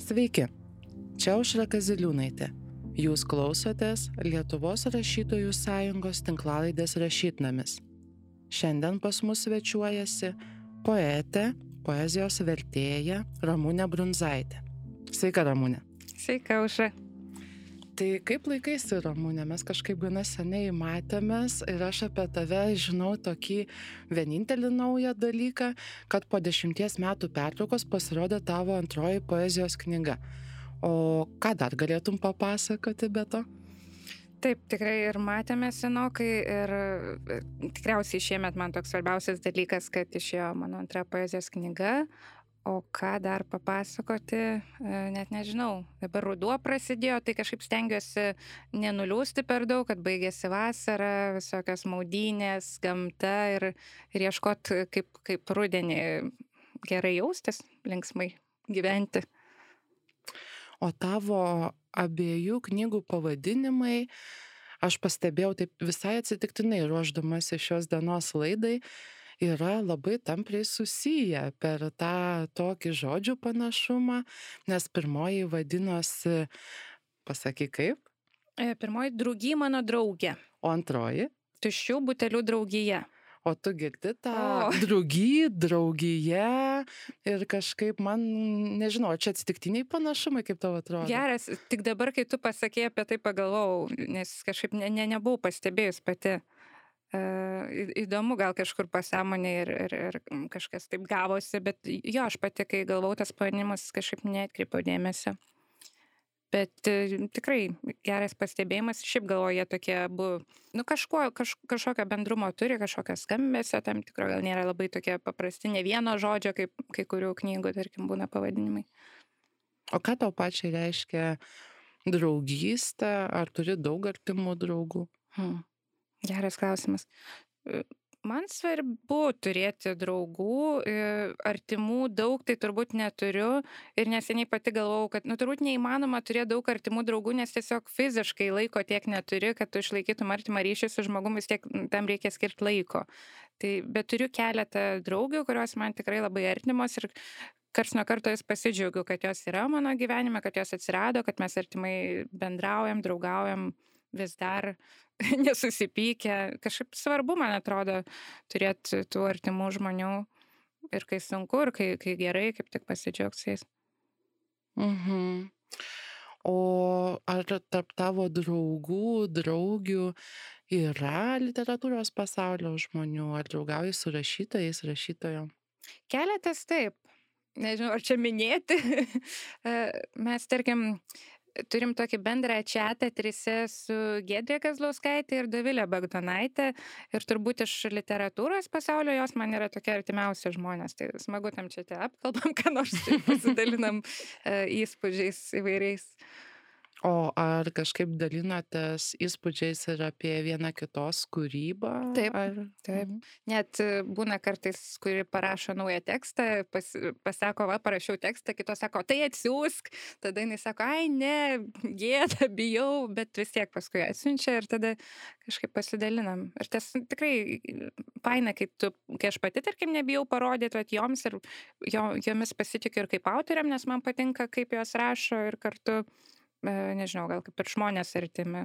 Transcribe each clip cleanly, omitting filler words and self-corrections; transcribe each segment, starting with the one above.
Sveiki, čia Aušra Kaziliūnaitė. Jūs klausotės Lietuvos rašytojų sąjungos tinklalaidės Rašytnamis. Šiandien pas mus svečiuojasi poetė, poezijos vertėja Ramunė Brundzaitė. Sveika, Ramunė. Sveika, Aušra. Tai kaip laikaisi, Ramunė? Mes kažkaip gana seniai matėmės ir aš apie tave žinau tokį vienintelį naują dalyką, kad po 10 metų pertraukos pasirodė tavo antroji poezijos knyga. O ką dar galėtum papasakoti be to? Taip, tikrai ir matėme senokai ir tikriausiai šiemet man toks svarbiausias dalykas, kad išėjo mano antra poezijos knyga. O ką dar papasakoti, net nežinau. Dabar ruduo prasidėjo, tai kažkaip stengiuosi nenuliūsti per daug, kad baigėsi vasara, visokios maudynės, gamta ir ieškoti kaip rudenį gerai jaustis, linksmai gyventi. O tavo abiejų knygų pavadinimai, aš pastebėjau taip visai atsitiktinai ruošdamasi šios dienos laidai, yra labai tampriai susiję per tą tokį žodžių panašumą, nes pirmoji vadinosi, pasakyk kaip? Pirmoji Draugy mano draugė. O antroji? Tuščių butelių draugija. O tu girdi tą draugiją ir kažkaip man, nežinau, čia atsitiktiniai panašumai, kaip tau atrodo? Geras, tik dabar, kai tu pasakei apie tai pagalvojau, nes kažkaip nebuvau pastebėjus pati. Įdomu, gal kažkur pasąmonė ir kažkas taip gavosi, bet jo, aš pati, kai galvau tas pavadinimas, kažkaip neatkreipiau dėmesio. Bet tikrai geras pastebėjimas, šiaip galvoju, jie tokie abu, kažkokio bendrumo turi, kažkokio skambesio, tam tikro gal nėra labai tokie paprasti, ne vieno žodžio, kaip kai kurių knygų, tarkim, būna pavadinimai. O ką tau pačiai reiškia draugystė, ar turi daug artimų draugų? Geras klausimas. Man svarbu turėti draugų, artimų daug, tai turbūt neturiu ir neseniai pati galvojau, kad turbūt neįmanoma turėti daug artimų draugų, nes tiesiog fiziškai laiko tiek neturi, kad tu išlaikytum artimą ryšį su žmogumi, vis tiek tam reikia skirti laiko. Bet turiu keletą draugių, kurios man tikrai labai artimos ir karts nuo karto jas pasidžiaugiu, kad jos yra mano gyvenime, kad jos atsirado, kad mes artimai bendraujam, draugaujam vis dar nesusipykę. Kažkaip svarbu, man atrodo, turėti tų artimų žmonių ir kai sunku, ir kai gerai, kaip tik pasidžiaugti su jais. O ar tarp tavo draugų, draugių yra literatūros pasaulio žmonių? Ar draugauji su rašytojais, rašytojom? Keletas taip. Nežinau, ar čia minėti. Mes, tarkim, turim tokį bendrą čatą trise su Giedre Kazlauskaitė ir Dovilė Bagdonaitė ir turbūt iš literatūros pasaulio jos man yra tokie artimiausi žmonės. Tai smagu tam čate apkalbam, ką nors pasidalinam įspūdžiais įvairiais. O ar kažkaip dalinatės įspūdžiais ir apie vieną kitos kūrybą? Taip. Net būna kartais, kuri parašo naują tekstą, pasako, parašiau tekstą, kitos sako, tai atsiųsk, tada jinai sako, ai ne, gėda, bijau, bet vis tiek paskui atsiunčia ir tada kažkaip pasidalinam. Ir tas tikrai faina, kai aš pati, tarkim, nebijau parodyti joms ir jomis pasitikiu ir kaip autoriam, nes man patinka, kaip jos rašo ir kartu nežinau, gal kaip ir žmonės artimi.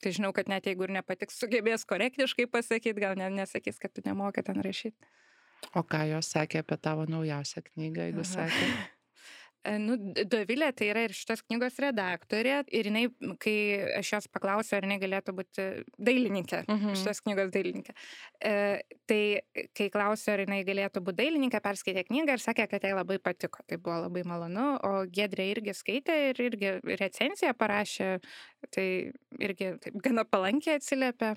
Tai žinau, kad net jeigu ir nepatiks, sugebės korektiškai pasakyti, gal nesakys, kad tu nemoki ten rašyti. O ką jos sakė apie tavo naujausią knygą, jeigu sakė? Dovilė tai yra ir šitos knygos redaktorė ir jinai, kai aš jos paklausiu, ar jinai galėtų būti dailininkė, šitos knygos dailininkė. Tai kai klausiu, ar jinai galėtų būti dailininkė, perskaitė knygą ir sakė, kad jai labai patiko. Tai buvo labai malonu, o Giedrė irgi skaitė ir irgi recenziją parašė, tai irgi taip gana palankiai atsiliepė.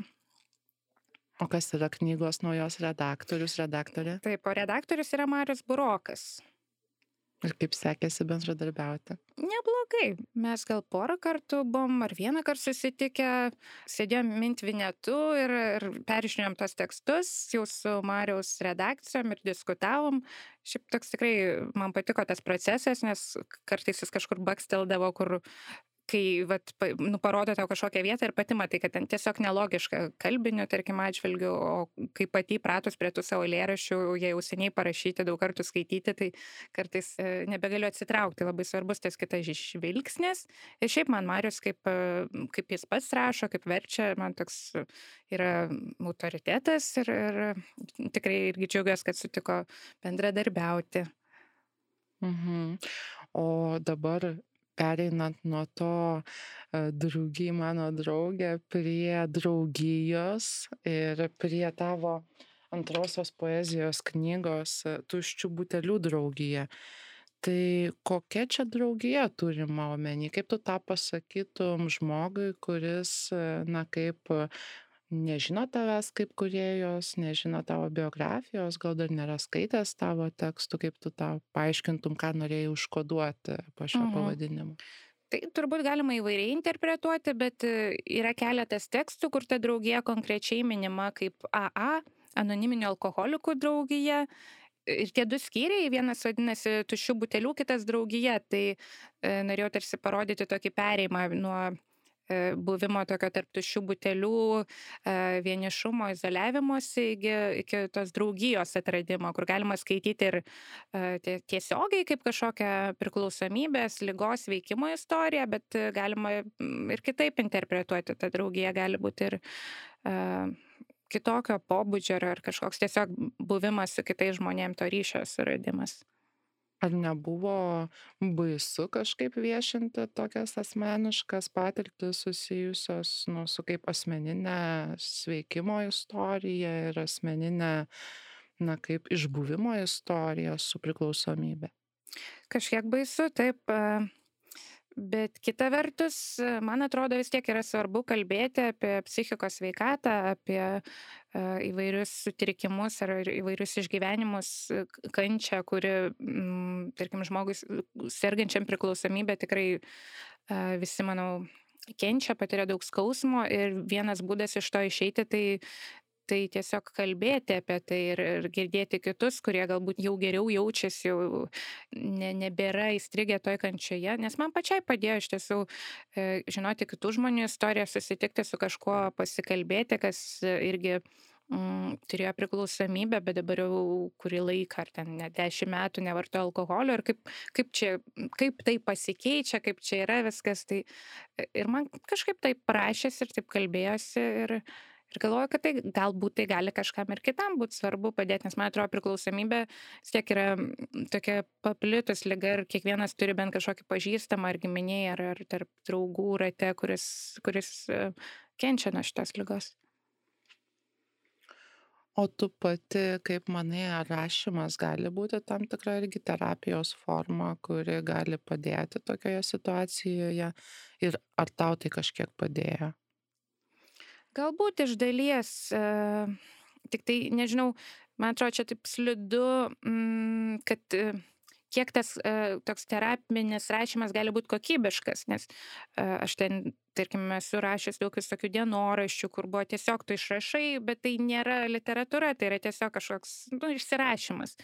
O kas yra knygos naujos redaktorius, redaktorė? Taip, o redaktorius yra Marius Burokas. Ir kaip sekėsi bendradarbiauti? Neblogai. Mes gal porą kartų buvom, ar vieną kartą susitikę, sėdėjom Mintvinetu ir peržiūrėjom tos tekstus, jau su Mariaus redakcijom ir diskutavom. Šiaip toks tikrai man patiko tas procesas, nes kartais jis kažkur baksteldavo, kur kai vat parodo tau kažkokią vietą ir pati matai, kad ten tiesiog nelogiška kalbiniu, tarkim, atžvilgiu, o kai pati įpratus prie tų savo eilėraščių, jie jau seniai parašyti, daug kartų skaityti, tai kartais nebegaliu atsitraukti, labai svarbus tas kitas žvilgsnis. Ir šiaip man Marius, kaip jis pats rašo, kaip verčia, man toks yra autoritetas ir tikrai irgi džiaugiuosi, kad sutiko bendradarbiauti. Mhm. O dabar pereinant nuo to draugy mano draugė prie draugijos ir prie tavo antrosios poezijos knygos Tuščių butelių draugija. Tai kokia čia draugija turima omeny? Kaip tu tą pasakytum žmogui, kuris, na, kaip nežino tavęs kaip kūrėjos, nežino tavo biografijos, gal dar nėra skaitęs tavo tekstų, kaip tu tą paaiškintum, ką norėjai užkoduoti po šio pavadinimu? Tai turbūt galima įvairiai interpretuoti, bet yra keletas tekstų, kur ta draugija konkrečiai minima kaip AA, anoniminių alkoholikų draugija. Ir tie du skyriai, vienas vadinasi Tuščių butelių, kitas draugija. Tai norėjau tarsi parodyti tokį perėjimą nuo buvimo tokio tarp tuščių butelių, vienišumo, izoliavimosi iki tos draugijos atradimo, kur galima skaityti ir tiesiogiai kaip kažkokią priklausomybės, ligos veikimo istoriją, bet galima ir kitaip interpretuoti. Ta draugija gali būti ir kitokio pobūdžio ar kažkoks tiesiog buvimas su kitais žmonėm, to ryšio suradimas. Ar nebuvo baisu kažkaip viešinti tokias asmeniškas patirtis susijusios su kaip asmeninė sveikimo istorija ir asmeninė, na, kaip išbuvimo istorija su priklausomybė? Kažkiek baisu, taip. Bet kita vertus, man atrodo, vis tiek yra svarbu kalbėti apie psichikos sveikatą, apie įvairius sutrikimus ar įvairius išgyvenimus, kančią, kuri, tarkim, žmogui sergančiam priklausomybę tikrai visi, manau, kenčia, patiria daug skausmo ir vienas būdas iš to išeiti, tai tiesiog kalbėti apie tai ir girdėti kitus, kurie galbūt jau geriau jaučiasi, jau nebėra įstrigę toj kančioje. Nes man pačiai padėjo iš tiesų žinoti kitų žmonių istoriją, susitikti su kažkuo, pasikalbėti, kas irgi turėjo priklausomybę, bet dabar jau kurį laiką, ar ten net 10 metų nevartoja alkoholio ir kaip tai pasikeičia, kaip čia yra viskas. Tai, ir man kažkaip taip prašėsi ir taip kalbėjosi ir galvoju, kad tai galbūt tai gali kažkam ir kitam būti svarbu padėti, nes man atrodo priklausomybė vis tiek yra tokia paplitus liga ir kiekvienas turi bent kažkokį pažįstamą ar giminėj ar tarp draugų rate, kuris kenčia nuo šitos ligos. O tu pati, kaip manai, ar rašymas gali būti tam tikra irgi terapijos forma, kuri gali padėti tokioje situacijoje ir ar tau tai kažkiek padėjo? Galbūt iš dalies, tik tai nežinau, man atrodo, čia taip slidu, kad kiek tas toks terapinis rašymas gali būti kokybiškas, nes aš ten, tarkim, esu rašęs daug visokių dienoraščių, kur buvo tiesiog tu išrašai, bet tai nėra literatūra, tai yra tiesiog kažkoks išsirašymas.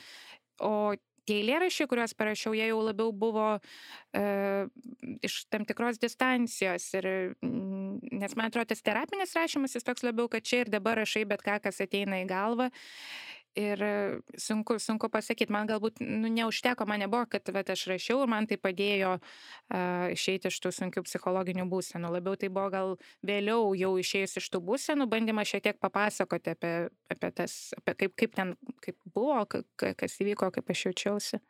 O tie eilėraščiai, kuriuos parašiau, jie jau labiau buvo iš tam tikros distancijos. Nes man atrodo, tas terapinis rašymas jis toks labiau, kad čia ir dabar rašai bet ką, kas ateina į galvą. Ir sunku pasakyti, man galbūt neužteko, man nebuvo, kad aš rašiau ir man tai padėjo išeiti iš tų sunkių psichologinių būsenų. Labiau tai buvo gal vėliau jau išėjus iš tų būsenų, bandymas šiek tiek papasakoti apie tas, kaip buvo, kas įvyko, kaip aš jaučiausi.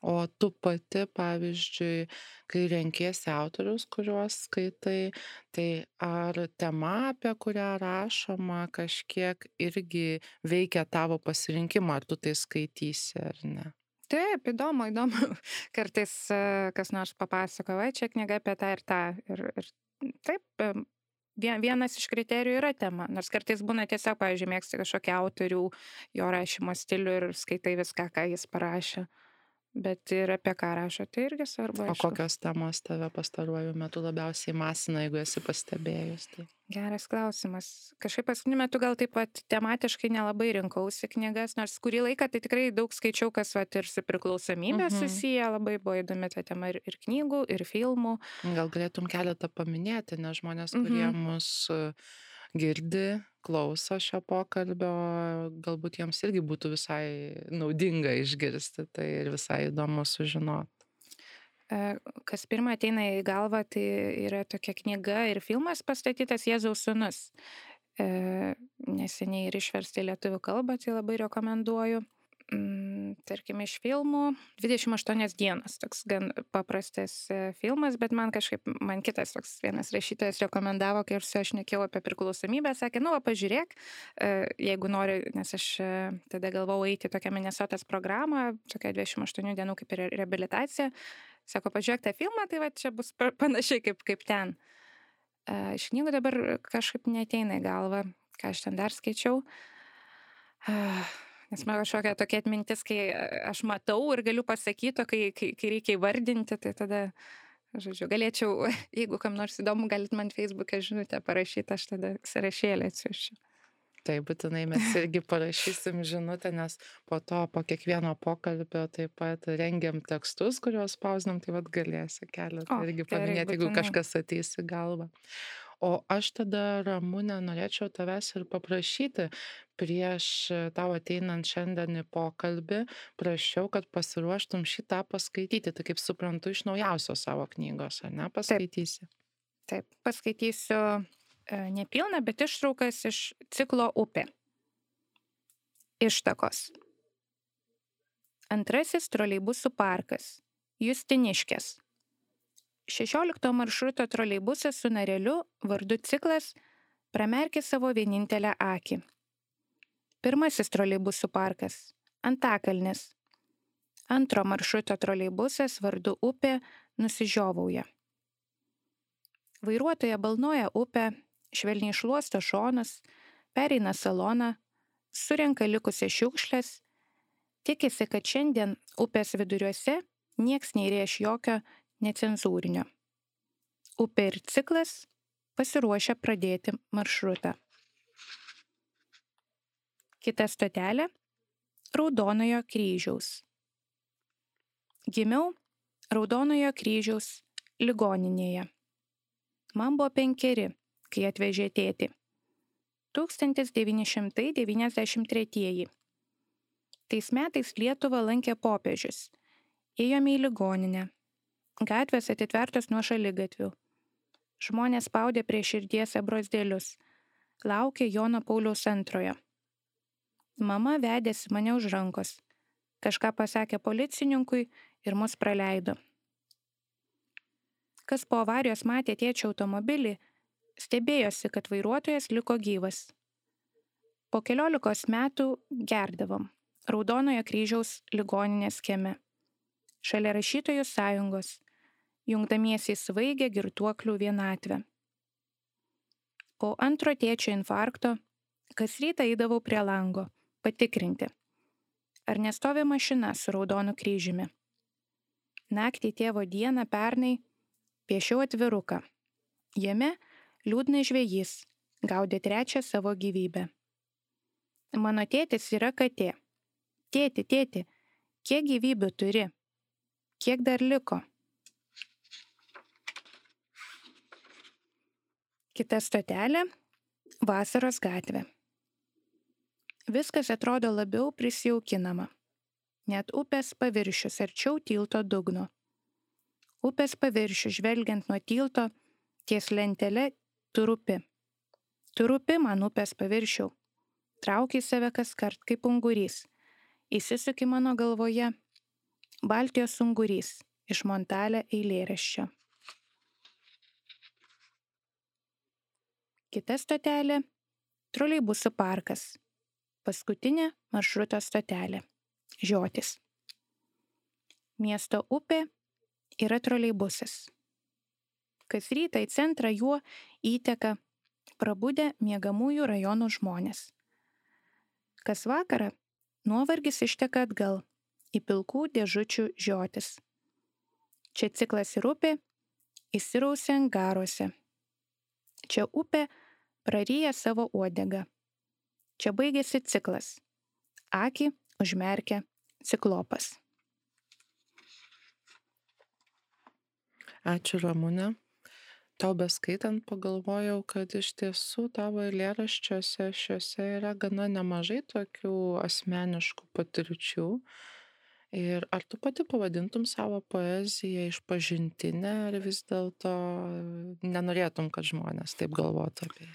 O tu pati, pavyzdžiui, kai renkiesi autorius, kuriuos skaitai, tai ar tema, apie kurią rašoma, kažkiek irgi veikia tavo pasirinkimą, ar tu tai skaitysi ar ne? Taip, įdomu. Kartais kas nors papasakoja, čia knyga apie tą ir tą. Ir taip, vienas iš kriterijų yra tema. Nors kartais būna tiesiog, pavyzdžiui, mėgsti kažkokį autorių, jo rašymo stilių ir skaitai viską, ką jis parašė. Bet ir apie ką rašo, tai irgi svarbu. O kokios temos tave pastaruoju metu labiausiai masina, jeigu esi pastebėjus? Tai? Geras klausimas. Kažkaip paskutiniu metu gal taip pat tematiškai nelabai rinkausi knygas, nors kurį laiką tai tikrai daug skaičiau, kas vat ir su priklausomybė susiję, labai buvo įdomi ta tema ir knygų, ir filmų. Gal galėtum keletą paminėti, nes žmonės, kurie mus girdi, klauso šio pokalbio, galbūt jiems irgi būtų visai naudinga išgirsti tai ir visai įdomu sužinoti. Kas pirmą ateina į galvą, tai yra tokia knyga ir filmas pastatytas Jėzaus sūnus. Neseniai ir išversti į lietuvių kalbą, tai labai rekomenduoju. Tarkim, iš filmų 28 dienos, toks gan paprastas filmas, bet man kitas toks vienas rašytojas rekomendavo, kai aš šnekėjau apie priklausomybę, sakė, pažiūrėk, jeigu nori, nes aš tada galvojau eiti tokią Minnesotos programą, tokia 28 dienų kaip ir reabilitacija. Sako, pažiūrėk tą filmą, tai va čia bus panašiai kaip ten. Iš knygų dabar kažkaip neateina į galvą, ką aš ten dar skaičiau. Nes man kažkokia tokia atmintis, kai aš matau ir galiu pasakyti, kai reikia įvardinti, tai tada, žodžiu, galėčiau, jeigu kam nors įdomu, galit man Facebook'e žinutę parašyti, aš tada sąrašėlį atsiųsčiau. Tai būtinai mes irgi parašysim žinutę, nes po kiekvieno pokalbio taip pat rengiam tekstus, kuriuos spausdinam, tai vat galėsi keletą irgi paminėti, jeigu kažkas ateis į galvą. O aš tada, Ramune, norėčiau tavęs ir paprašyti, prieš tau ateinant šiandien į pokalbį, prašiau, kad pasiruoštum šitą paskaityti, tai kaip suprantu, iš naujausios savo knygos, ar ne, paskaitysi? Taip, paskaitysiu nepilną, bet ištraukas iš ciklo Upė. Ištakos. Antrasis troleibusų parkas. Justiniškės. 16 maršruto troleibusas su nareliu vardu Ciklas pramerkė savo vienintelę akį. Pirmasis troleibusų parkas. Antakalnis. Antro maršruto troleibusas vardu Upė nusižiovauja. Vairuotoja balnoja upę, švelniai šluosto šonus, pereina saloną, surenka likusias šiukšles, tikisi, kad šiandien upės viduriuose nieks neįrėš jokio necenzūrinio. Upė ir Ciklas pasiruošia pradėti maršrutą. Kita stotelė – Raudonojo kryžiaus. Gimiau Raudonojo kryžiaus ligoninėje. Man buvo 5, kai atvežė tėtį. 1993. Tais metais Lietuvą lankė popiežius. Ėjome į ligoninę. Gatvės atitvertos nuo šaligatvių. Žmonės spaudė prie širdies abrozdėlius. Laukė Jono Pauliaus II. Mama vedėsi mane už rankos. Kažką pasakė policininkui ir mus praleido. Kas po avarijos matė tėčio automobilį, stebėjosi, kad vairuotojas liko gyvas. Po 14 metų gerdavom Raudonojo kryžiaus ligoninės kieme. Šalia rašytojų sąjungos, jungdamiesi į svaigę girtuoklių vienatvę. Po antro tėčio infarkto, kas rytą eidavau prie lango, patikrinti, ar nestovi mašina su Raudonu kryžiumi. Naktį tėvo dieną pernai piešiau atviruką. Jame liūdnas žvejys gaudė 3 savo gyvybę. Mano tėtis yra katė. Tėti, kiek gyvybių turi? Kiek dar liko? Kita stotelė – Vasaros gatvė. Viskas atrodo labiau prisijaukinama. Net upės paviršius arčiau tilto dugno. Upės paviršių žvelgiant nuo tilto, ties lentelė tu rūpi. Tu rūpi man upės paviršiau. Trauki save kaskart kaip ungurys. Įsisuki mano galvoje. Baltijos ungurys iš Montalė eilėraščio. Kita stotelė – troleibusų parkas. Paskutinė maršruto stotelė – Žiotis. Miesto upė yra troleibusas. Kas rytą į centrą juo įteka prabudę miegamųjų rajonų žmonės. Kas vakarą nuovargis išteka atgal į pilkų dėžučių žiotis. Čia Ciklas ir upė įsirausia angaruose. Čia upė praryja savo uodegą. Čia baigėsi ciklas. Akį užmerkia ciklopas. Ačiū, Ramune. Tau beskaitant pagalvojau, kad iš tiesų tavo eilėraščiuose šiuose yra gana nemažai tokių asmeniškų patirčių. Ir ar tu pati pavadintum savo poeziją išpažintinę, ar vis dėlto nenorėtum, kad žmonės taip galvotų apie ją?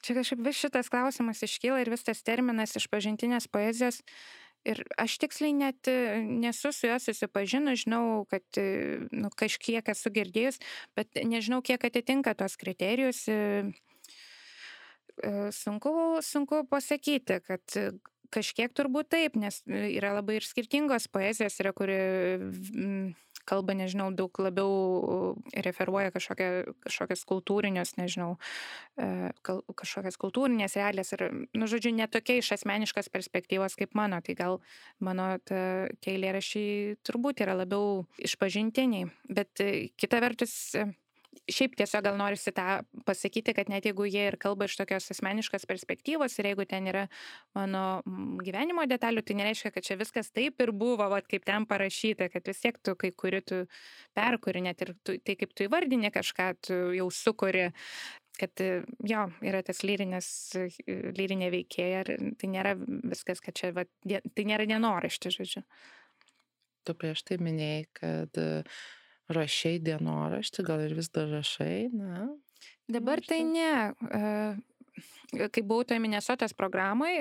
Čia kažkaip vis šitas klausimas iškyla ir vis tas terminas išpažintinės poezijos. Ir aš tiksliai net nesu su juo susipažinus, žinau, kad kažkiek esu girdėjus, bet nežinau, kiek atitinka tos kriterijus. Sunku pasakyti, kad kažkiek turbūt taip, nes yra labai ir skirtingos poezijos, yra, kuri kalba, nežinau, daug labiau referuoja kažkokias kultūrinius, nežinau, kažkokias kultūrinės realijas ir, žodžiu, netokia iš asmeniškos perspektyvos kaip mano, tai gal mano tie eilėraščiai turbūt yra labiau išpažintiniai, bet kita vertus, šiaip tiesiog gal norisi tą pasakyti, kad net jeigu jie ir kalba iš tokios asmeniškos perspektyvos ir jeigu ten yra mano gyvenimo detalių, tai nereiškia, kad čia viskas taip ir buvo, kaip ten parašyta, kad vis tiek tu kai kuri tu perkuri, net ir tai kaip tu įvardini kažką, tu jau sukuri, kad jo, yra tas lyrinė veikėja ir tai nėra viskas, kad čia, tai nėra dienoraštis, žodžiu. Tu prieš tai minėjai, kad rašai dienoraštį, gal ir vis dar rašai, na? Dabar tai ne. Kai buvau toje Minesotos programai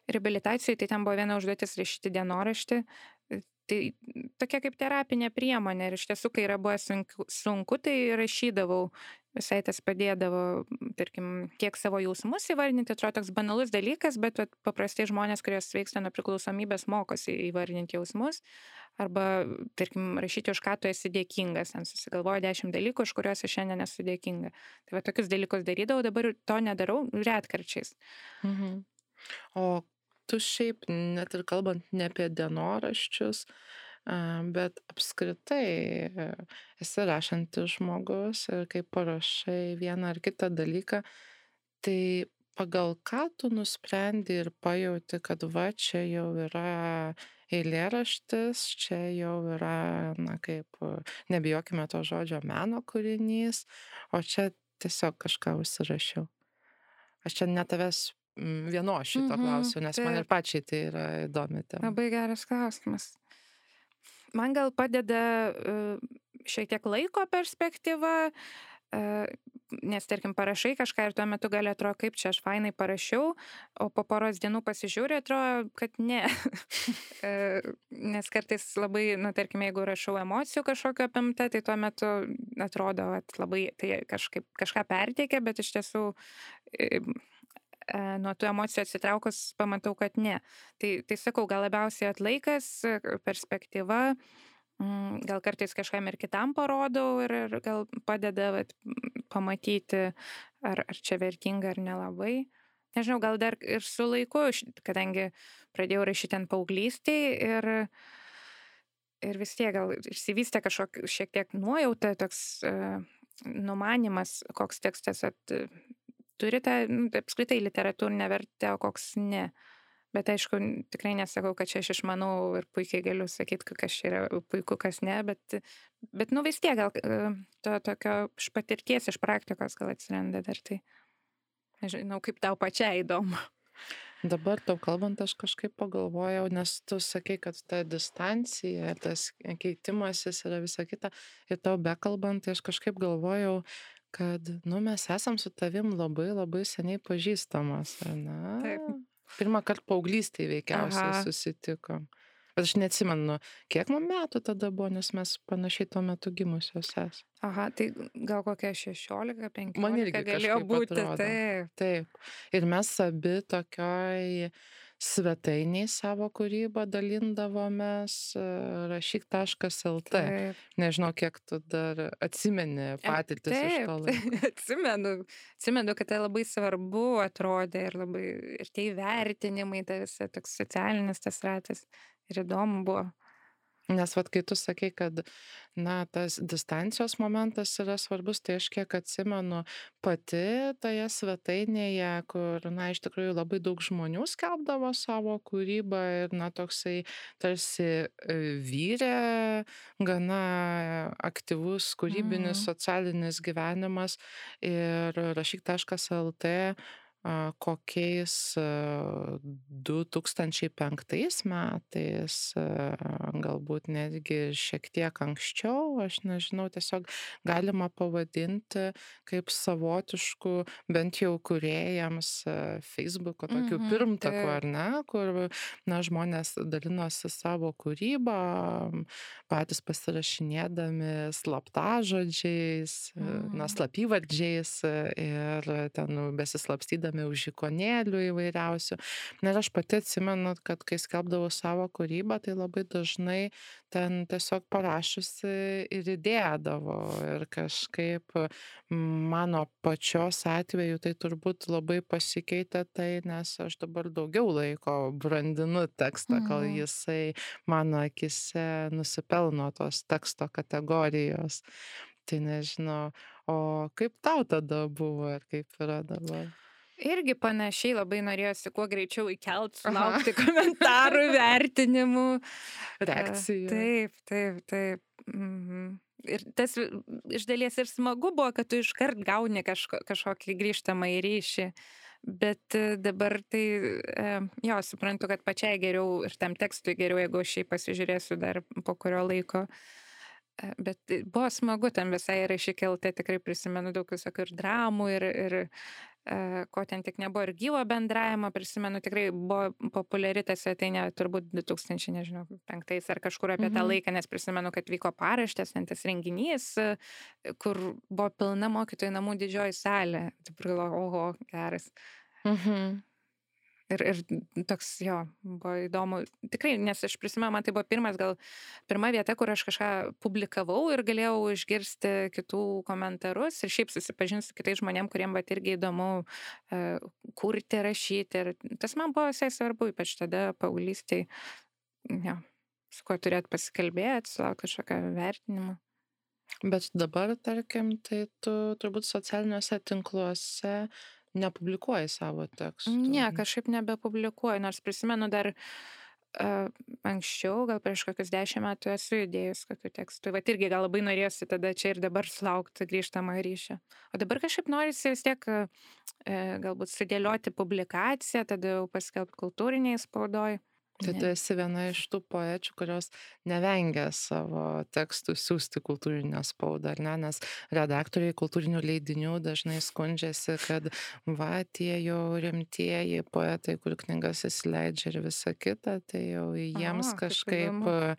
reabilitacijai, tai ten buvo viena užduotis rašyti dienoraštį. Tai tokia kaip terapinė priemonė ir iš tiesų, kai yra buvo sunku, tai rašydavau. Visai tas padėdavo, tarkim, kiek savo jausmus įvardinti, atrodo toks banalus dalykas, bet paprastai žmonės, kurie sveiksta nuo priklausomybės, mokosi įvardinti jausmus. Arba, tarkim, rašyti, už ką tu esi dėkingas, ten susigalvoju 10 dalykų, už kuriuos aš šiandien esu dėkinga. Tai tokius dalykus darydavau, dabar to nedarau retkarčiais. Mhm. O tu šiaip, net ir kalbant ne apie dienoraščius, bet apskritai esi rašantis žmogus ir kai parašai vieną ar kitą dalyką, tai pagal ką tu nusprendi ir pajauti, kad čia jau yra eilėraštis, čia jau yra, kaip, nebijokime to žodžio, meno kūrinys, o čia tiesiog kažką užsirašiau. Aš čia ne tavęs vienos šito klausiu, nes man ir pačiai tai yra įdomi tema. Labai geras klausimas. Man gal padeda šiek tiek laiko perspektyva, nes, tarkim, parašai kažką ir tuo metu gali atrodo, kaip čia aš fainai parašiau, o po poros dienų pasižiūrė, atrodo, kad ne. Nes kartais labai, tarkim, jeigu rašau emocijų kažkokio apimta, tai tuo metu atrodo, labai tai kažką perteikia, bet iš tiesų nuo tų emocijų atsitraukus pamatau, kad ne. Tai sakau, gal labiausiai atlaikas, perspektyva, gal kartais kažkam ir kitam parodau ir gal padeda pamatyti, ar čia vertinga ar nelabai. Nežinau, gal dar ir su laiku, kadangi pradėjau rašyti ant paauglystėj ir vis tiek gal išsivystė šiek tiek nuojauta, toks numanimas, koks tekstas turi tą, apskritai literatūrinę vertę, o koks ne. Bet aišku, tikrai nesakau, kad čia aš išmanau ir puikiai galiu sakyti, kas čia yra puiku, kas ne, bet vis tiek gal to tokio iš patirties, iš praktikos gal atsiranda dar tai. Nežinau, kaip tau pačiai įdomu. Dabar tau kalbant, aš kažkaip pagalvojau, nes tu sakai, kad ta distancija, tas keitimasis yra visa kita, ir tau bekalbant, tai aš kažkaip galvojau, kad, mes esam su tavim labai labai seniai pažįstamos, ar ne? Taip. Pirmą kartą paauglystėje veikiausiai susitikom. Bet aš neatsimenu, kiek man metų tada buvo, nes mes panašiai tuo metu gimusios esame. Aha, tai gal kokia 16-15 man irgi galėjo būti. Taip. Ir mes abi tokioj svetainiai savo kūrybą dalindavomės rašyk.lt. Nežinau, kiek tu dar atsimeni patirtis iš to laiko. Atsimenu, kad tai labai svarbu atrodė ir tie įvertinimai, tai visa toks socialinis tas ratas ir įdomu buvo. Nes vat kai tu sakei, kad, na, tas distancijos momentas yra svarbus, tai aš kiek atsimenu pati toje svetainėje, kur, na, iš tikrųjų labai daug žmonių skelbdavo savo kūrybą ir, na, toksai tarsi vyrė gana aktyvus kūrybinis Mhm. socialinis gyvenimas ir rašyk.lt kokiais 2005 metais, galbūt netgi šiek tiek anksčiau, aš nežinau, tiesiog galima pavadinti kaip savotišku, bent jau kūrėjams Facebooko tokiu Mhm. pirmtaku, Taip. ar ne, kur, na, žmonės dalinosi savo kūrybą, patys pasirašinėdami slaptažodžiais, na, Mhm. slapyvardžiais ir ten besislapstydami už ikonėlių įvairiausių. Na ir aš pati atsimenu, kad kai skelbdavau savo kūrybą, tai labai dažnai ten tiesiog parašiusi ir įdėdavo. Ir kažkaip mano pačios atveju tai turbūt labai pasikeitė tai, nes aš dabar daugiau laiko brandinu tekstą, kol Mhm. jisai mano akise nusipelno tos teksto kategorijos. Tai nežinau, o kaip tau tada buvo ir kaip yra dabar? Irgi panašiai labai norėjosi kuo greičiau įkelt, Aha, sulaukti komentarų, vertinimų. reakcija. Taip, taip, taip. Mhm. Ir tas iš dalies ir smagu buvo, kad tu iškart gauni kažkokį grįžtamąjį ryšį. Bet dabar tai, jo, suprantu, kad pačiai geriau ir tam tekstui geriau, jeigu aš jį pasižiūrėsiu dar po kurio laiko. Bet buvo smagu ten visai rašyk.lt, tikrai prisimenu daug visokių ir dramų, ir ko ten tik nebuvo, ir gyvo bendravimo, prisimenu, tikrai buvo populiari ta svetainė turbūt 2005 ar kažkur apie tą Mhm. laiką, nes prisimenu, kad vyko paraštės, ten tas renginys, kur buvo pilna mokytojų namų didžioji salė. Taip galvoju, oho, geras. Mhm. Ir toks, jo, buvo įdomu. Tikrai, nes aš prisimenu, man tai buvo pirma vieta, kur aš kažką publikavau ir galėjau išgirsti kitų komentarus ir šiaip susipažinti su kitais žmonėm, kuriem vat irgi įdomu kurti, rašyti. Ir tas man buvo visai svarbu, ypač tada paauglystėj, jo, su kuo turėt pasikalbėti, sulaukti kažkokio vertinimo. Bet dabar, tarkim, tai tu turbūt socialiniuose tinkluose nepublikuoji savo tekstų. Ne, kažkaip nebepublikuoju, nors prisimenu dar anksčiau, gal prieš kokius 10 metų esu įdėjus kokių tekstų. Vat irgi gal labai norėjosi tada čia ir dabar sulaukti grįžtamą ryšį. O dabar kažkaip norisi vis tiek galbūt sudėlioti publikaciją, tada jau paskelbti kultūriniai spaudoj. Tai tu Ne. esi viena iš tų poečių, kurios nevengia savo tekstų siūsti kultūrinę spaudą, ar ne? Nes redaktoriai kultūrinių leidinių dažnai skundžiasi, kad va, tie jau rimtieji poetai, kur knygas įsileidžia ir visa kita, tai jau jiems O, kaip kažkaip įdomu.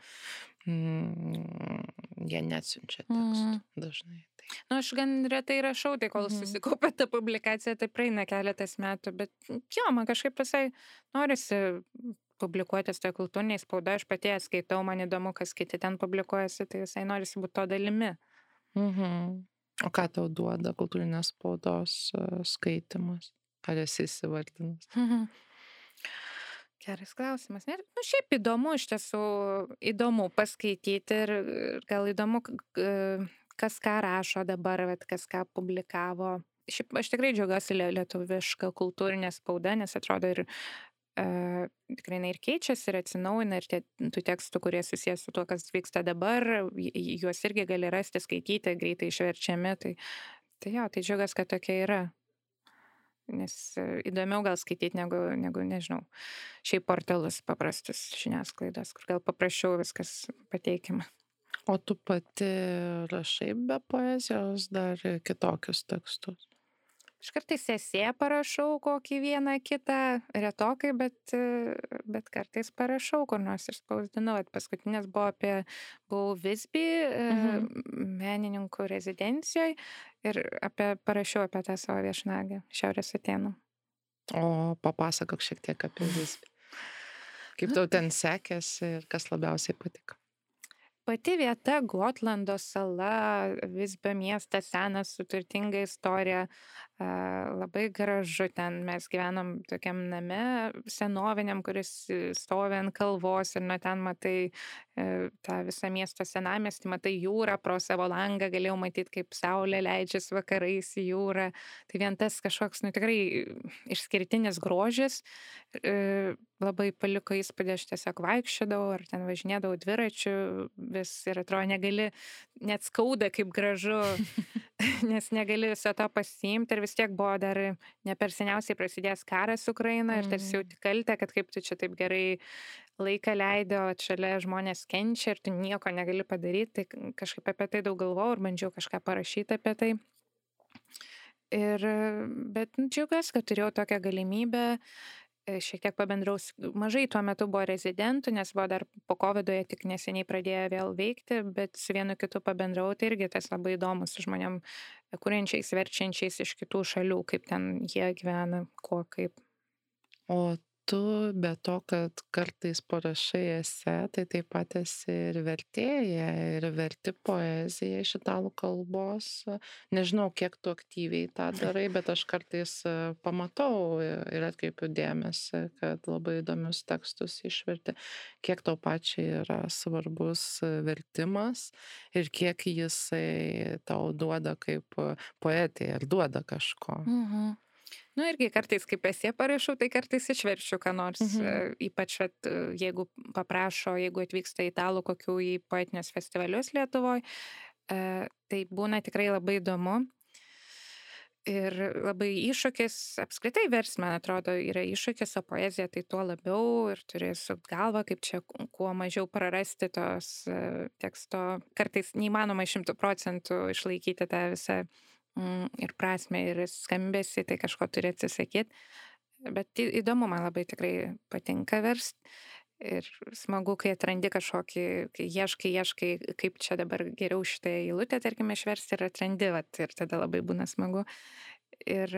jie neatsiunčia Mm. tekstų dažnai. Tai. Nu, aš gan retai rašau, tai kol Mhm. susikaupia ta publikacija, tai praeina keletas metų, bet jo, man kažkaip visai norisi publikuotis toje kultūrinėje spaudoje, aš pati ją skaitau, man įdomu, kas kiti ten publikuojasi, tai visai norisi būti to dalimi. Mhm. O ką tau duoda kultūrinės spaudos skaitimas? Ar esi įsivardinus? Mhm. Geras klausimas. Nu, šiaip įdomu, iš tiesų įdomu paskaityti ir gal įdomu, kas ką rašo dabar, vat, kas ką publikavo. Šiaip aš tikrai džiaugiuosi lietuviška kultūrinė spauda, nes atrodo ir tikrai jinai ir keičiasi, ir atsinaujina, ir tų tekstų, kurie susijęs su tuo, kas vyksta dabar, juos irgi gali rasti, skaityti, greitai išverčiami. Tai jo, tai džiaugiuosi, kad tokia yra. Nes įdomiau gal skaityti negu, nežinau, šiaip portalus paprastus žiniasklaidos, kur gal paprasčiau viskas pateikiama. O tu pati rašai be poezijos dar kitokius tekstus? Aš kartais esė parašau kokį vieną kitą, retokai, bet kartais parašau, kur nors išspausdinau. Paskutinės buvau Visby menininkų rezidencijoje ir parašiau apie tą savo viešnagę Šiaurės Atėnų. O papasakok šiek tiek apie Visbį. Kaip tau ten sekėsi ir kas labiausiai patiko? Pati vieta, Gotlando sala, Visbio miestas, senas, su turtinga istorija. Labai gražu ten, mes gyvenam tokiam name senoviniam, kuris stovi ant kalvos ir nuo ten matai tą visą miesto senamiestį, matai jūrą, pro savo langą galėjau matyti, kaip saulė leidžiasi vakarais į jūrą. Tai vien tas kažkoks, nu tikrai išskirtinis grožis labai paliko įspūdį, aš tiesiog vaikščiodavau ar ten važinėdavau dviračiu vis ir atrodo negali, net skauda kaip gražu, nes negali viso to pasiimti ir vis tiek buvo dar ne per seniausiai prasidėjęs karas Ukraina ir tarsi jauti kaltę, kad kaip tu čia taip gerai laiką leido, šalia žmonės kenčia ir tu nieko negali padaryti, tai kažkaip apie tai daug galvojau ir bandžiau kažką parašyti apie tai. Bet džiaugiuosi, kad turėjau tokią galimybę, šiek tiek pabendraus, mažai tuo metu buvo rezidentų, nes buvo dar po COVID jie tik neseniai pradėjo vėl veikti, bet su vienu kitu pabendrau, tai irgi tas labai įdomu su žmonėm, kuriančiais, verčiančiais iš kitų šalių, kaip ten jie gyvena, ko kaip. O tu be to, kad kartais parašai esė, tai taip pat esi ir vertėja, ir verti poeziją iš italų kalbos. Nežinau, kiek tu aktyviai tą darai, bet aš kartais pamatau ir atkreipiu dėmesį, kad labai įdomius tekstus išverti. Kiek tau pačiai yra svarbus vertimas ir kiek jisai tau duoda kaip poetė ir duoda kažko. Nu irgi kartais kaip esė parašau, tai kartais išverčiu, ką nors, ypač jeigu paprašo, jeigu atvyksta italų kokių į poetinius festivalius Lietuvoje, tai būna tikrai labai įdomu. Ir labai iššūkis, apskritai versme, man atrodo, yra iššūkis, o poezija tai tuo labiau ir turi sukt galvą, kaip čia kuo mažiau prarasti tos teksto. Kartais neįmanoma 100% išlaikyti tą visą ir prasme, ir skambesi, tai kažko turi atsisakyti. Bet įdomu, man labai tikrai patinka versti. Ir smagu, kai atrandi kažkokį, kai ieškai, kaip čia dabar geriau šitą eilutę, tarkime, išversti ir atrandi, ir tada labai būna smagu. Ir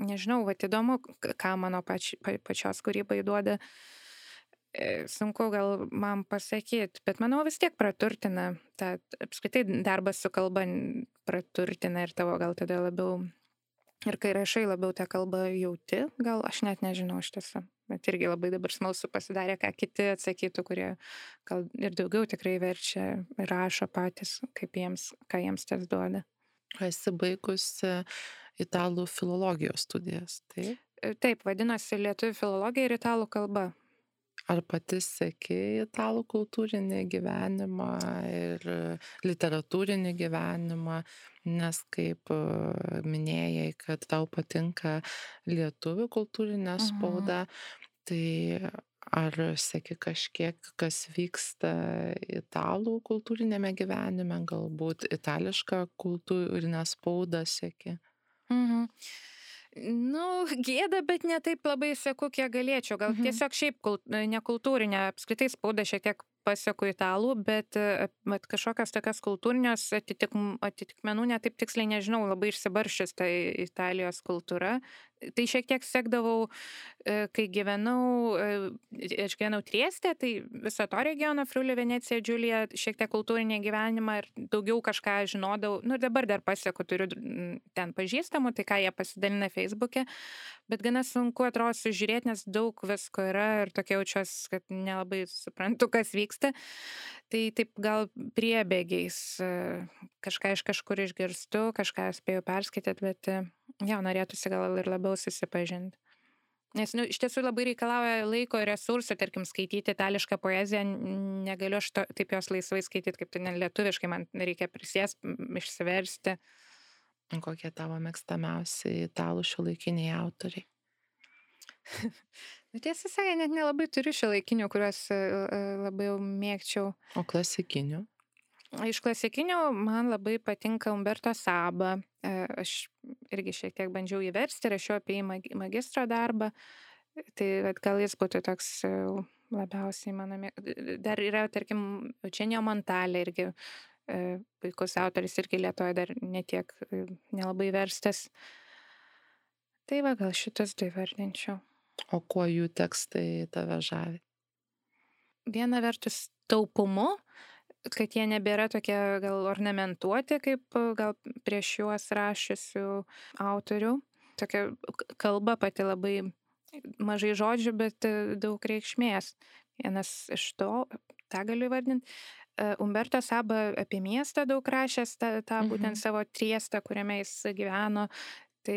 nežinau, įdomu, ką mano pačios kūrybai duoda. Sunku gal man pasakyti, bet manau vis tiek praturtina, apskritai darbas su kalba praturtina ir tavo gal tada labiau, ir kai rašai labiau tą kalbą jauti, gal aš net nežinau iš tiesų, bet irgi labai dabar smalsu pasidarė, ką kiti atsakytų, kurie gal ir daugiau tikrai verčia ir rašo patys, ką jiems tas duoda. Esi baigusi italų filologijos studijas, taip? Taip, vadinosi lietuvių filologija ir italų kalba. Ar pati seki italų kultūrinį gyvenimą ir literatūrinį gyvenimą, nes kaip minėjai, kad tau patinka lietuvių kultūrinė spauda, tai ar seki kažkiek, kas vyksta italų kultūrinėme gyvenime, galbūt itališką kultūrinę spaudą seki? Nu, gėda, bet ne taip labai seku, kiek galėčiau. Gal tiesiog šiaip nekultūrinė, apskritai spauda šiek tiek paseku italų, bet kažkokios tokios kultūrinės atitikmenų netaip tiksliai nežinau, labai išsibarščius ta Italijos kultūra. Tai šiek tiek sekdavau, kai aš gyvenau Trieste, tai viso to regiono, Friuli, Venecija, Džiulija, šiek tiek kultūrinį gyvenimą ir daugiau kažką žinodavau. Nu ir dabar dar pasieku, turiu ten pažįstamų, tai ką jie pasidalina Facebook'e, bet gana sunku atrodo sužiūrėti, nes daug visko yra ir tokia jaučiuosi, kad nelabai suprantu, kas vyksta. Tai taip gal priebėgiais kažką iš kažkur išgirstu, kažką spėjau perskaityti, bet jau norėtųsi gal ir labiau susipažinti. Nes iš tiesų labai reikalauja laiko ir resursų, tarkim, skaityti itališką poeziją, negaliu aš taip jos laisvai skaityti, kaip tai lietuviškai, man reikia prisėsti, išsiversti. Kokie tavo mėgstamiausi italų šiuolaikiniai autoriai? Tiesą sakant, net nelabai turiu šiuolaikinių, kuriuos labai jau mėgčiau. O klasikinių? Iš klasikinių man labai patinka Umberto Saba. Aš irgi šiek tiek bandžiau jį versti, rašiau apie jį magistro darbą. Tai gal jis būtų toks labiausiai mano mėgstamas. Dar yra, tarkim, Eugenio Montale irgi puikus autoris, irgi Lietuvoje dar netiek nelabai verstas. Tai gal šitas tai vardinčiau. O kuo jų tekstai tave žavi? Viena vertus taupumu, kad jie nebėra tokie gal ornamentuoti, kaip gal prieš juos rašiusių autorių. tokia kalba pati labai mažai žodžių, bet daug reikšmės. Vienas iš to, tą galiu įvardinti. Umberto Saba apie miestą daug rašęs, tą būtent savo Triestą, kuriame jis gyveno. Tai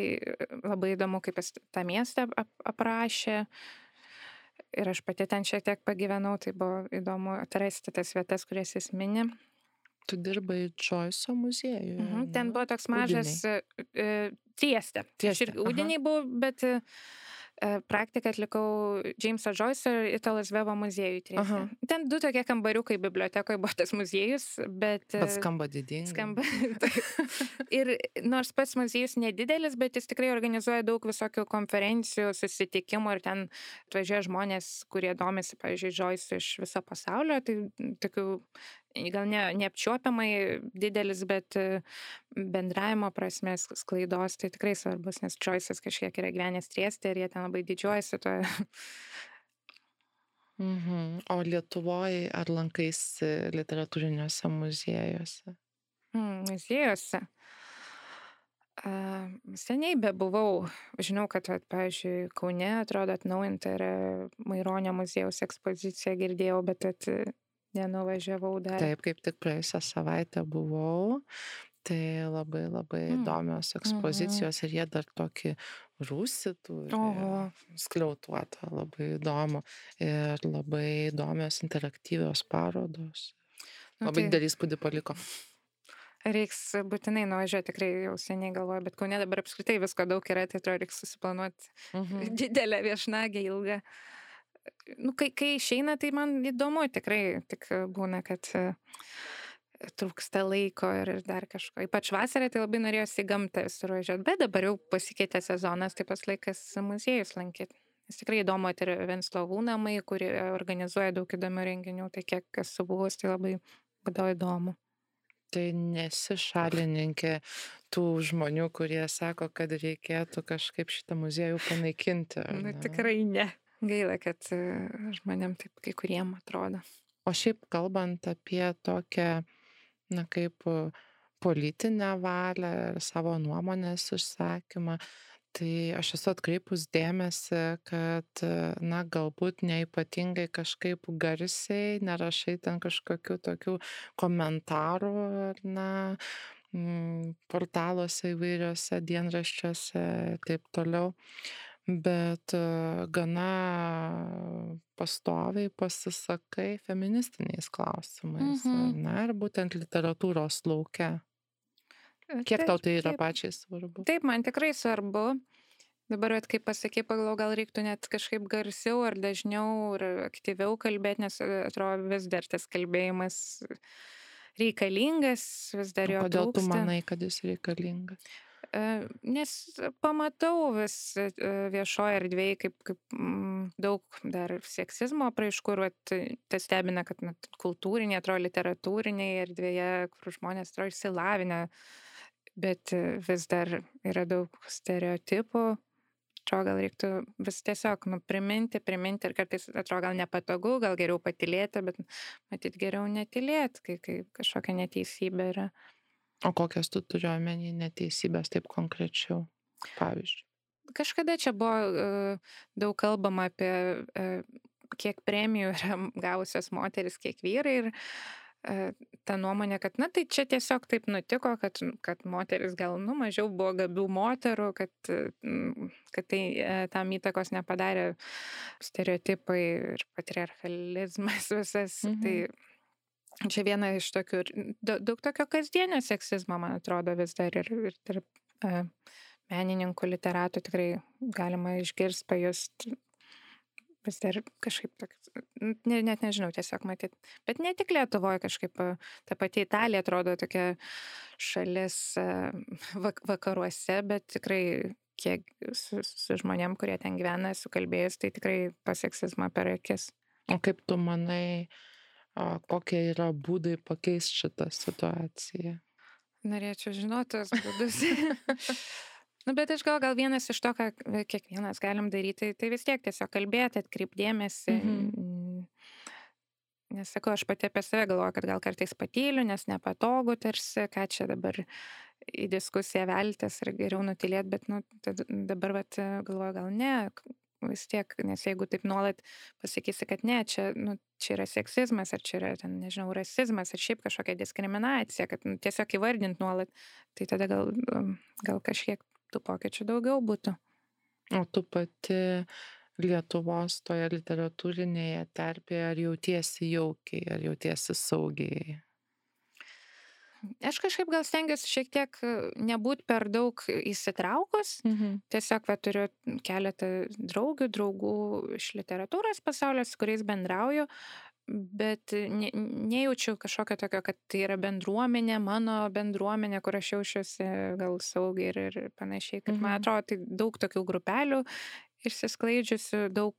labai įdomu, kaip jis tą miestą aprašė. Ir aš pati ten šiek tiek pagyvenau, tai buvo įdomu atrasti tas vietas, kurias jis mini. Tu dirbai Džoiso muziejuje. Ten buvo toks mažas Trieste. Aš ir Udiniai buvau, bet praktiką atlikau James'o Joyce'o ir Italo Svevo muziejui Trieste. Ten 2 tokie kambariukai bibliotekoje buvo tas muziejus, bet skamba didingai. Skamba. Ir nors pats muziejus nedidelis, bet jis tikrai organizuoja daug visokių konferencijų, susitikimų ir ten atvažiuoja žmonės, kurie domisi, pavyzdžiui, Joyce iš viso pasaulio. Tai tokių gal neapčiuopiamai didelis, bet bendravimo prasmės sklaidos tai tikrai svarbus, nes Joyce'as kažkiek yra gyvenęs Trieste ir jie ten labai didžiuojasi to. O Lietuvoje ar lankaisi literatūriniuose muziejuose? Muziejuose. Seniai bebuvau. Žinau, kad, pavyzdžiui, Kaune atrodo atnaujinta yra Maironio muziejaus ekspozicija, girdėjau, bet nenuvažiavau dar. Taip, kaip tik praėjusią savaitę buvau. Tai labai įdomios ekspozicijos ir jie dar tokį rūsį turi, skliautuotą, labai įdomu. Ir labai įdomios interaktyvios parodos. Labai didelį įspūdį paliko. Reiks būtinai nuvažiuoti, tikrai jau seniai galvoju, bet Kaune dabar apskritai visko daug yra, tai atrodo reiks susiplanuoti didelę viešnagę ilgą. Kai išeina, tai man įdomu tikrai, tik būna, kad trūksta laiko ir dar kažko. Ypač vasarą tai labai norėjosi į gamtą visur važiuoti, bet dabar jau pasikeitė sezonas, tai pas laikas muziejus lankyti. Nes tikrai įdomu, ir Venclovų namai, kurie organizuoja daug įdomių renginių, tai kiek esu buvus, tai labai būdavo įdomu. Tai nesi šalininkė tų žmonių, kurie sako, kad reikėtų kažkaip šitą muziejų panaikinti? Tikrai ne. Gaila, kad žmonėm taip kai kuriem atrodo. O šiaip kalbant apie tokią, kaip politinę valią ir savo nuomonės išsakymą, tai aš esu atkreipus dėmesį, kad, galbūt neypatingai kažkaip garsiai nerašai ten kažkokių tokių komentarų, portaluose įvairiuose dienraščiuose ir taip toliau. Bet gana pastoviai pasisakai feministiniais klausimais, ir būtent literatūros lauke. Kiek tau tai yra pačiai svarbu? Taip, man tikrai svarbu. Dabar, kaip pasakė, pagalvojau, gal reiktų net kažkaip garsiau ar dažniau ir aktyviau kalbėti, nes atrodo vis dar tas kalbėjimas reikalingas, vis dar jo trūksta. Kodėl tu manai, kad jis reikalingas? Nes pamatau vis viešoje erdvėje, kaip daug dar seksizmo apraiškų, ir tas stebina, kad kultūrinė, atrodo literatūrinėje erdvėje, kur žmonės atrodo išsilavinę, bet vis dar yra daug stereotipų. Atrodo, gal reiktų vis tiesiog priminti ir kartais atrodo gal nepatogu, gal geriau patylėti, bet matyt geriau netylėti, kai kažkokia neteisybė yra. O kokias tu turi omeny neteisybės taip konkrečiau, pavyzdžiui? Kažkada čia buvo daug kalbama apie kiek premijų yra gavusios moteris, kiek vyrai, ir ta nuomonė, kad tai čia tiesiog taip nutiko, kad moteris gal mažiau buvo gabių moterų, kad tai tam įtakos nepadarė stereotipai ir patriarchalizmas visas. Tai čia viena iš tokių, daug tokio kasdienio seksizmo, man atrodo, vis dar ir tarp menininkų, literatų tikrai galima išgirsti, pajusti, vis dar kažkaip toks, net nežinau, tiesiog matyti. Bet ne tik Lietuvoje kažkaip, ta pati Italija atrodo tokia šalis vakaruose, bet tikrai kiek su žmonėm, kurie ten gyvena, esu kalbėjus, tai tikrai paseksizmą per akis. O kaip tu manai, kokie yra būdai pakeisti šitą situaciją? Norėčiau žinoti tos būdus. Bet aš gal vienas iš to, ką kiekvienas galim daryti, tai vis tiek tiesiog kalbėti, atkreipdėmėsi. Nes sakau, aš pati apie save galvoju, kad gal kartais patyliu, nes nepatogu tarsi, ką čia dabar į diskusiją veltis ir geriau nutylėt, bet dabar galvoju, gal ne, vis tiek, nes jeigu taip nuolat pasakysi, kad ne, čia yra seksizmas, ar čia yra, nežinau, rasizmas, ar šiaip kažkokia diskriminacija, kad tiesiog įvardint nuolat, tai tada gal kažkiek tų pokyčių daugiau būtų. O tu pati Lietuvos toje literatūrinėje terpėje, ar jautiesi jaukiai, ar jautiesi saugiai? Aš kažkaip gal stengiuosi šiek tiek nebūt per daug įsitraukus. Tiesiog turiu keletą draugų iš literatūros pasaulio, su kuriais bendrauju, bet nejaučiu kažkokio tokio, kad tai yra bendruomenė, mano bendruomenė, kur aš jaučiuosi gal saugiai ir panašiai. Kad man atrodo, tai daug tokių grupelių išsisklaidžiusių, daug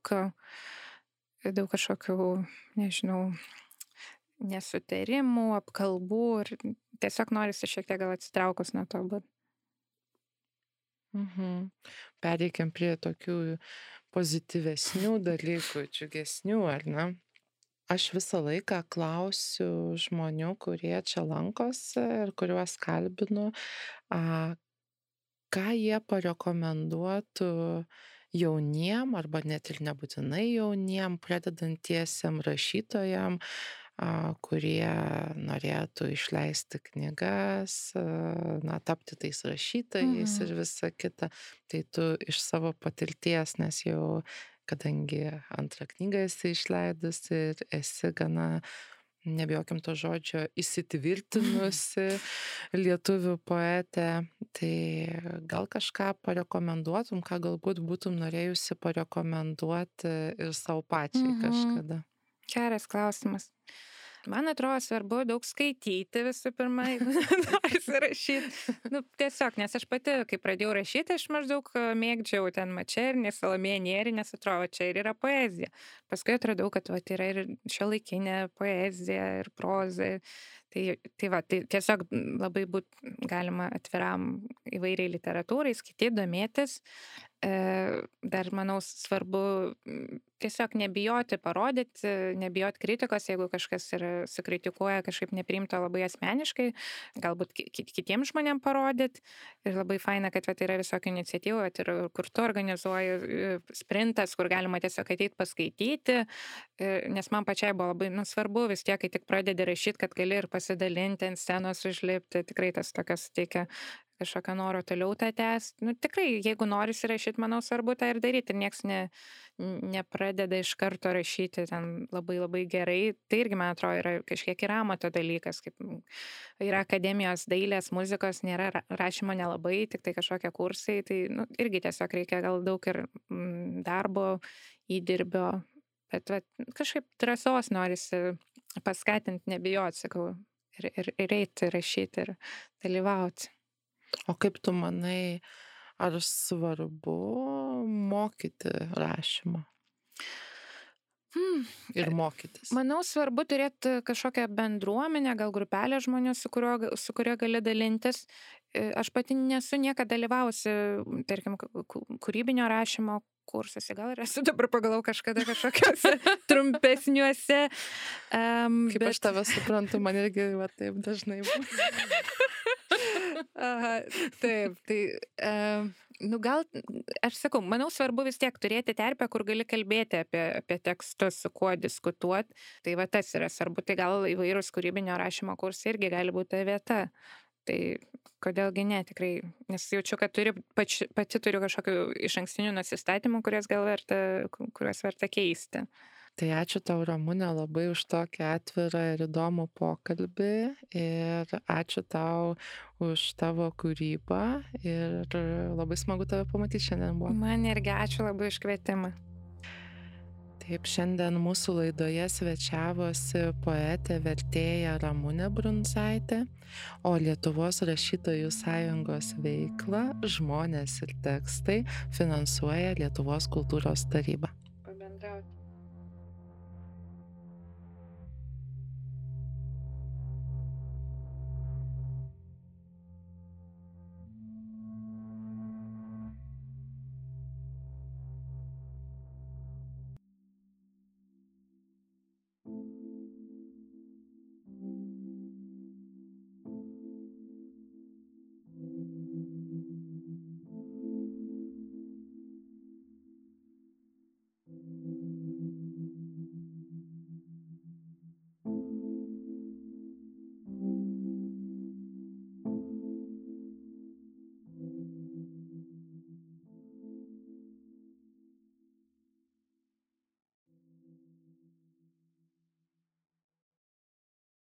kažkokių, nežinau, nesutarimų, apkalbų ir tiesiog norisi šiek tiek gal atsitraukus nuo to būt. Pereikim prie tokių pozityvesnių dalykų, džiugesnių, ar ne? Aš visą laiką klausiu žmonių, kurie čia lankosi ir kuriuos kalbinu, ką jie parekomenduotų jauniem, arba net ir nebūtinai jauniem, pradedantiesiem rašytojam, kurie norėtų išleisti knygas, tapti tais rašytojais ir visa kita. Tai tu iš savo patirties, nes jau, kadangi antrą knygą esi išleidus ir esi gana, nebijokim to žodžio, įsitvirtinusi lietuvių poetė, tai gal kažką parekomenduotum, ką galbūt būtum norėjusi parekomenduoti ir savo pačiai kažkada? Geras klausimas. Man atrodo svarbu daug skaityti visų pirma, jeigu norisi rašyti. Tiesiog, nes aš pati, kai pradėjau rašyti, aš maždaug mėgdžiau ten Mačernį, Salomėją Nėrį, nes atrodo, čia ir yra poezija. Paskui atradau, kad yra ir šiuolaikinė poezija ir proza. Tai tiesiog labai būt galima atviram įvairiai literatūrai, skaityti, domėtis. Dar, manau, svarbu tiesiog nebijoti parodyti, nebijoti kritikos, jeigu kažkas sukritikuoja kažkaip nepriimta labai asmeniškai, galbūt kitiems žmonėms parodyti. Ir labai faina, kad yra visokių iniciatyvų, ir kur tu organizuoji sprintas, kur galima tiesiog ateiti paskaityti, nes man pačiai buvo labai svarbu vis tiek, kai tik pradedi rašyti, kad gali ir pasidalinti ant scenos, užlipti, tikrai tas tokias teikia kažkokio noro toliau tą tęsti. Tikrai, jeigu norisi rašyti, manau, svarbu tą ir daryti. Ir nieks nepradeda iš karto rašyti ten labai labai gerai. Tai irgi, man atrodo, yra kažkiek ir amato dalykas. Kaip yra akademijos dailės, muzikos, nėra rašymo nelabai, tik tai kažkokie kursai. Tai irgi tiesiog reikia gal daug ir darbo, įdirbio. Bet kažkaip drąsos norisi paskatinti, nebijoti, sakau, ir eiti rašyti ir dalyvauti. O kaip tu manai, ar svarbu mokyti rašymą? Ir mokytis? Manau, svarbu turėti kažkokią bendruomenę, gal grupelę žmonių, su kuria gali dalintis. Aš pati nesu niekada dalyvavusi, tarkim, kūrybinio rašymo kursuose, gal ir esu dabar pagalvojau kažkada kažkokiuose trumpesniuose. Kaip aš tave suprantu, man irgi taip dažnai būna. Taip, tai gal, aš sakau, manau, svarbu vis tiek turėti terpę, kur gali kalbėti apie tekstus, su kuo diskutuoti. Tai tas yra svarbu, tai gal įvairūs kūrybinio rašymo kursai irgi gali būti ta vieta. Tai kodėlgi ne, tikrai, nes jaučiu, kad pati turiu kažkokių išankstinių nusistatymų, kuriuos verta keisti. Tai ačiū tau, Ramunė, labai už tokį atvirą ir įdomų pokalbį ir ačiū tau už tavo kūrybą ir labai smagu tave pamatyti šiandien buvo. Man irgi ačiū labai už kvietimą. Taip, šiandien mūsų laidoje svečiavosi poetė vertėja Ramunė Brundzaitė, o Lietuvos rašytojų sąjungos veiklą Žmonės ir tekstai finansuoja Lietuvos kultūros taryba.